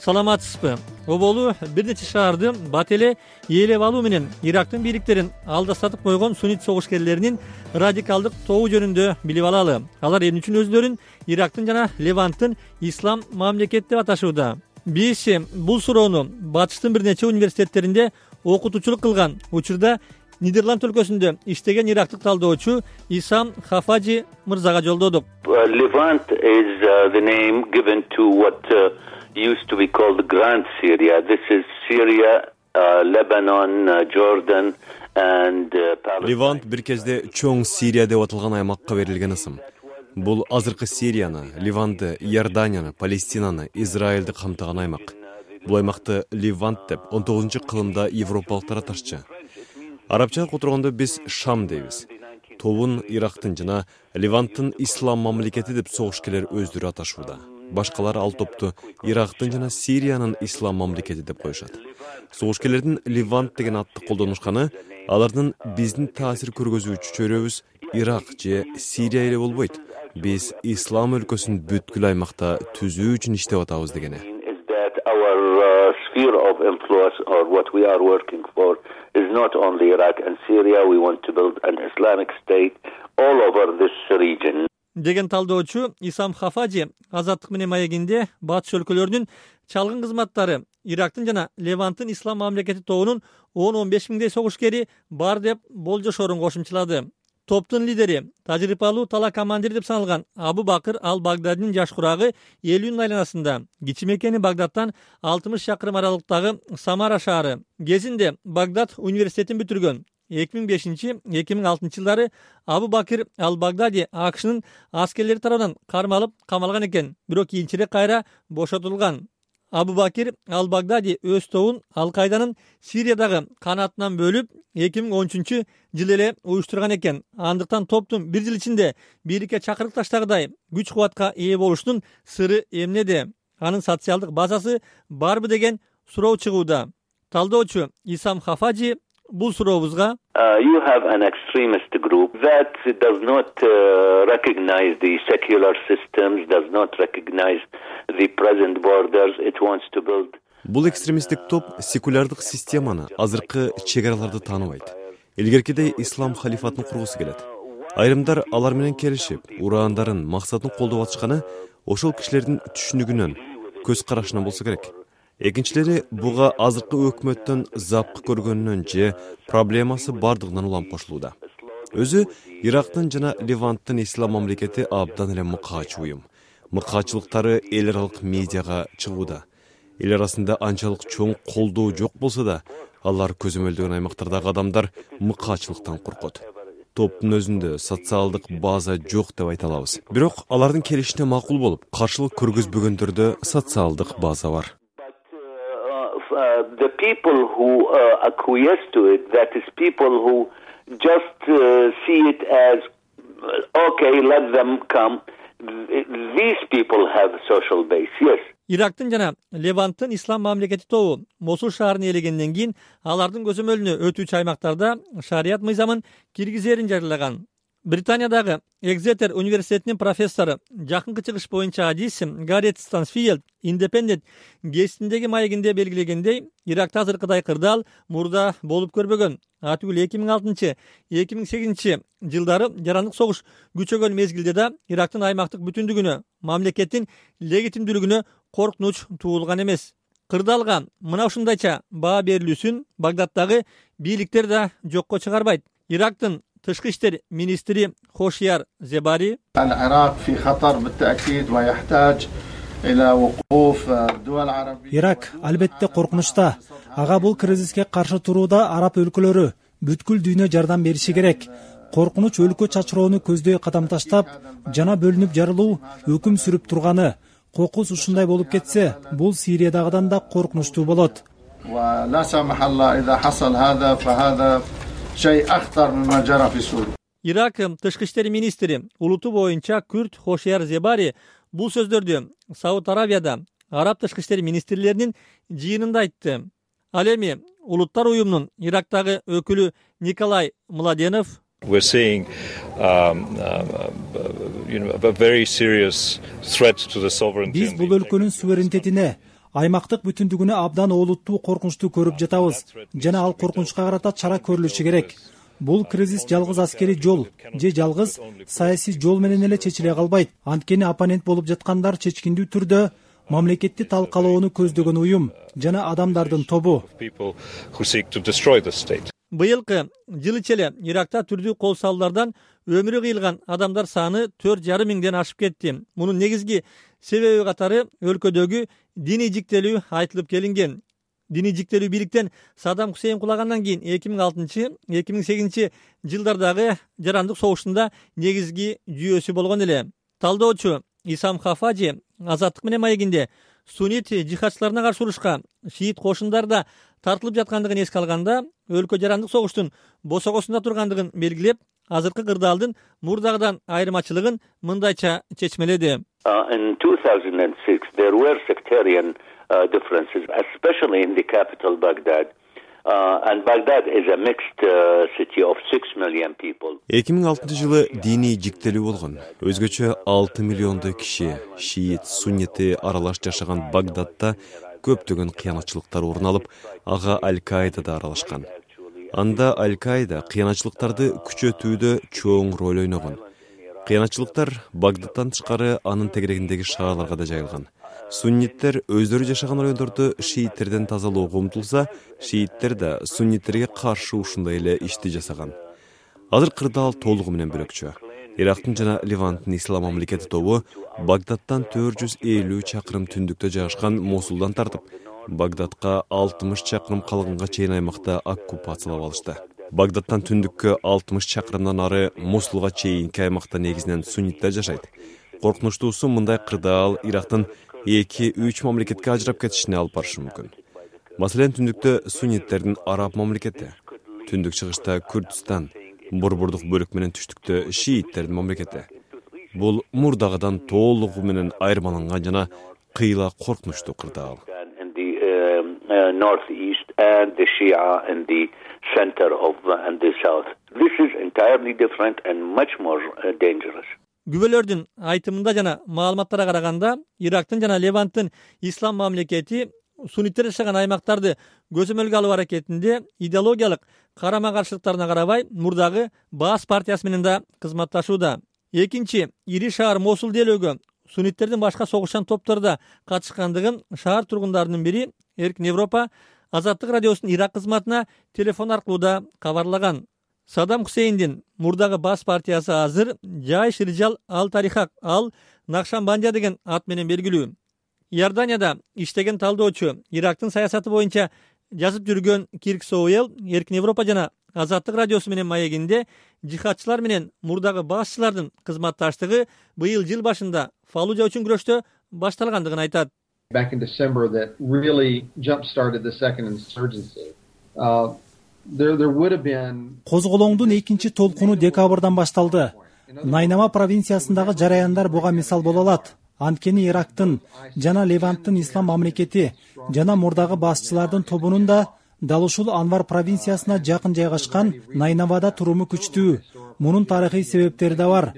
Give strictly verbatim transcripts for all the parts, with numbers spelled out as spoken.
саламатсызбы? Оболу бир нече шаарды бат эле ээлеп алуу менен Ирактын бийликтерин алдастатып койгон суннит согушкерлеринин радикалдык тобу жөнүндө билип алалы. Алар эмне үчүн өзлөрүн Ирактын жана Леванттын ислам мамлекети деп аташууда? Биз бул суроону Батыштын бир нече университеттеринде окутуучулук кылган учурда Нидерланд өлкөсүндө иштеген ирактык талдоочу Исам Хафажи мырзага жолдодук. Levant is uh, the name given to what uh, used to be called the Grand Syria. This is Syria, uh, Lebanon, uh, Jordan and uh, Palestine. Левант бир кезде чоң Сирия деп аталган аймакка берилген ысым. Бул азыркы Сирияны, Ливанды, Иорданияны, Палестинаны, Израилди камтыган аймак. Бул аймакты Левант деп он тогузунчу кылымда европалыктар аташчы. Арабча которгондо биз Шам дейбиз. Тобун Ирактын жана Леванттын ислам мамлекети деп согушкерлер өздөрү аташууда. Башкалар ал топту Ирактын жана Сириянын ислам мамлекети деп коюшат. Согушкерлердин Левант деген атты колдонушканы алардын биздин таасир көргөзүүчү чөйрөбүз Ирак же Сирия эле болбойт. Биз ислам өлкөсүн бүткүл аймакта түзүү үчүн иштеп атабыз дегени. Our uh, sphere of influence or what we are working for is not only Iraq and Syria. We want to build an Islamic state all over this region. Деген талдоочу Исам Хафажи Азаттык менен маегинде батыш өлкөлөрүнүн чалгын кызматтары Ирактын жана Леванттын ислам мамлекети тобунун он он беш миңдей согушкери бар деп болжошорун кошумчалады. Топтун лидери, тажрыйбалуу тала командир деп саналган Абу Бакыр ал-Багдадинин жаш курагы элүүнүн айланасында, кичи мекени Багдадтан алтымыш чакырым аралыктагы Самара шаары. Кезинде Багдад университетин бүтүргөн. эки миң бешинчи — эки миң алтынчы жылдары Абу Бакыр ал-Багдади АКШнын аскерлери тарабынан кармалып камалган экен, бирок кийинчерээк кайра бошотулган. Абу Бакир ал-Багдади өз тобун Ал-Кайданын Сириядагы канатынан бөлүп эки миң он үчүнчү жылы эле уюштурган экен. Андыктан топтун бир жыл ичинде бийликке чакырык таштагыдай күч кубатка ээ болушунун сыры эмнеде? Анын социалдык базасы барбы деген суроо чыгууда. Талдоочу Исам Хафажи бул сурообузга Uh, you have an extremist group that does not uh, recognize the secular systems, does not recognize the present borders. It wants to build. Бул экстремисттик топ секулярдык системаны, азыркы чегараларды тааныбайт. Илгеркидей ислам халифатын кургусу келет. Айрымдар алар менен келишип, ураандарын, максатын колдоп атышканы ошол кишилердин түшүнүгүнөн, көз карашынан болсо керек. Экинчилери буга азыркы өкмөттөн запкы көргөнүнөн же проблемасы бардыгынан улам кошулууда. Өзү Ирактын жана Леванттын ислам мамлекети абдан эле мыкаач уюм. Мыкаачылыктары эл аралык медиага чыгууда. Эл арасында анчалык чоң колдоо жок болсо да, алар көзөмөлдөгөн аймактардагы адамдар мыкаачылыктан коркот. Топтун өзүндө социалдык база жок деп айта алабыз. Бирок алардын келишине макул болуп, каршылык көргөзбөгөндөрдө социалдык база бар. Uh, the people who uh, acquiesce to it, that is people who just uh, see it as, okay, let them come. These people have a social base, yes. Ирактын жана Леванттын ислам мамлекети тобу Мосул шаарын ээлегенден кийин алардын көзөмөлүнө өтүүчү аймактарда шарият мыйзамын киргизерин жарыялаган. Британиядагы Экзетер университетинин профессору, жакынкы чыгыш боюнча адис Гарет Стансфилд Independent гезитиндеги маегинде белгилегендей, Иракта азыркыдай кырдаал мурда болуп көрбөгөн. Атүгүл эки миң алтынчы — эки миң сегизинчи жылдары жарандык согуш күчөгөн мезгилде да Ирактын аймактык бүтүндүгүнө, мамлекеттин легитимдүүлүгүнө коркунуч туулган эмес. Кырдаалга мына ушундайча баа берилүүсүн Багдадтагы бийликтер да жокко чыгарбайт. Ирактын тышкы иштер министри Хошияр Зебари Ирак албетте коркунучта. Ага бул кризиске каршы турууда араб өлкөлөрү бүткүл дүйнө жардам бериши керек. Коркунуч өлкө чачыроону көздөй кадам таштап, жана бөлүнүп жарылуу өкүм сүрүп турганы. Кокус ушундай болуп кетсе, бул Сириядагыдан да коркунучтуу болот. Ирак тышкы иштер министри улуту боюнча Күрт Хошияр Зебари бул сөздөрдү Сауд Арабияда араб тышкы иштер министрлеринин жыйынында айтты. Ал эми улуттар уюмунун Ирактагы өкүлү Николай Младенов We're seeing um, uh, you know, a very serious threat to the sovereignty. Биз бул өлкөнүн суверенитетине, аймактык бүтүндүгүнө абдан олуттуу коркунучту көрүп жатабыз жана ал коркунучка карата чара көрүлүшү керек. Бул кризис жалгыз аскерий жол же жалгыз саясий жол менен эле чечиле калбайт. Анткени оппонент болуп жаткандар чечкиндүү түрдө мамлекетти талкалоону көздөгөн уюм жана адамдардын тобу. Быйылкы жыл ичи эле Иракта түрдүү кол салуулардан өмүрү кыйылган адамдар саны төрт жарым миңден ашып кетти. Мунун негизги себеби катары өлкөдөгү диний жиктелүү айтылып келинген. Диний жиктелүү бийликтен Саддам Хусейн кулагандан кийин эки миң алтынчы — эки миң сегизинчи жылдардагы жарандык согуштунда негизги жүйөсү болгон эле. Талдоочу Исам Хафажи Азаттык менен маегинде суннит жихадчыларына каршы урушка шиит кошундар да тартылып жаткандыгын эске алганда, өлкө жарандык согуштун босогосунда тургандыгын белгилеп, азыркы кырдаалдын мурдагыдан айырмачылыгын мындайча чечмеледи. In two thousand six there were sectarian uh, differences, especially in the capital Baghdad. Uh, and Baghdad is a mixed uh, city of six million people. эки миң алтынчы жылы диний жиктелүү болгон. Өзгөчө алты миллиондой киши шиит, суннити аралаш жашаган Багдадда көптөгөн кыянатчылыктар орун алып, ага Аль-Каида да аралашкан. Анда Аль-Каида кыянатчылыктарды күчөтүүдө чоң роль ойногон. Кыянатчылыктар Багдадтан тышкары анын тегерегиндеги шаарларга да жайылган. Сунниттер өздөрү жашаган райондорду шииттерден тазалоого умтулса, шииттер да сунниттерге каршы ушундай эле ишти жасаган. Азыр кырдаал толугу менен бөлөкчө. Ирактын жана Леванттын ислам мамлекети тобу Багдадтан төрт жүз элүү чакырым түндүктө жайгашкан Мосулдан тартып, Багдадка алтымыш чакырым калганга чейин аймакта оккупациялап алышты. Багдадтан түндүккө алтымыш чакырымдан ары Мосулга чейинки аймакта негизинен сунниттер жашайт. Коркунучтуусу мындай кырдаал Ирактын эки үч мамлекетке ажырап кетишине алып барышы мүмкүн. Маселен, түндүктө сунниттердин араб мамлекети, түндүк чыгышта Күрдистан, борбордук бөлүк менен түштүктө шииттердин мамлекети. Бул мурдагыдан толугу менен айырмаланган жана кыйла коркунучтуу кырдаал. Күбөлөрдүн айтымында жана маалыматтарга караганда, Ирактын жана Леванттын ислам мамлекети сунниттер жашаган аймактарды көзөмөлгө алуу аракетинде идеологиялык карама-каршылыктарына карабай, мурдагы Баас партиясы менен да кызматташууда. Экинчи ири шаар Мосул делөөгө сунниттердин башка согушчан топтору да катышкандыгын шаар тургундарынын бири Эркин Европа Азаттык радиосунун Ирак кызматына телефон аркылуу да кабарлаган. Саддам Хусейндин мурдагы Баас партиясы азыр Жайш Риджал Ал-Тарихак ал Накшанбандия деген ат менен белгилүү. Иорданияда иштеген талдоочу, Ирактын саясаты боюнча жазып жүргөн Кирк Соуэл Эркин Европа жана Азаттык радиосу менен маегинде жихадчылар менен мурдагы башчылардын кызматташтыгы быйыл жыл башында Фаллужа үчүн күрөштө башталгандыгын айтат. Back in December that really jump-started the second insurgency. Uh, there, there would have been... Козголоңдун экинчи толкуну декабрдан башталды. Найнама провинциясындагы жараяндар буга мисал боло алат. Анткени Ирактын жана Леванттын ислам мамлекети жана мурдагы башчылардын тобунун да дал ушул Анвар провинциясына жакын жайгашкан Найнавада туруму күчтүү. Мунун тарыхый себептери да бар.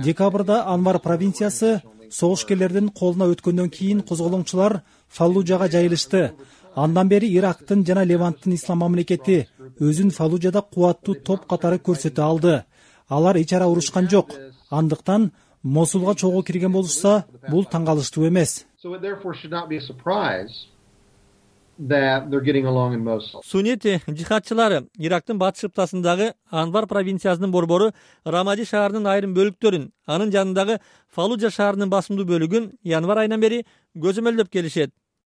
Декабрда Анвар провинциясы согушкерлердин колуна өткөндөн кийин козголоңчулар Фаллужага жайылышты. Андан бери Ирактын жана Леванттын ислам мамлекети өзүн Фаллужада кубаттуу топ катары көрсөтө алды. Алар ичара урушкан жок. Андыктан Мосулга чогуу кирген болушса, бул таң калыштуу эмес. Суннит жихадчылары Ирактын батыш ыптасындагы Анвар провинциясынын борбору Рамади шаарынын айрым бөлүктөрүн, анын жанындагы Фаллужа шаарынын басымдуу бөлүгүн январь айынан бери көзөмөлдөп келишет.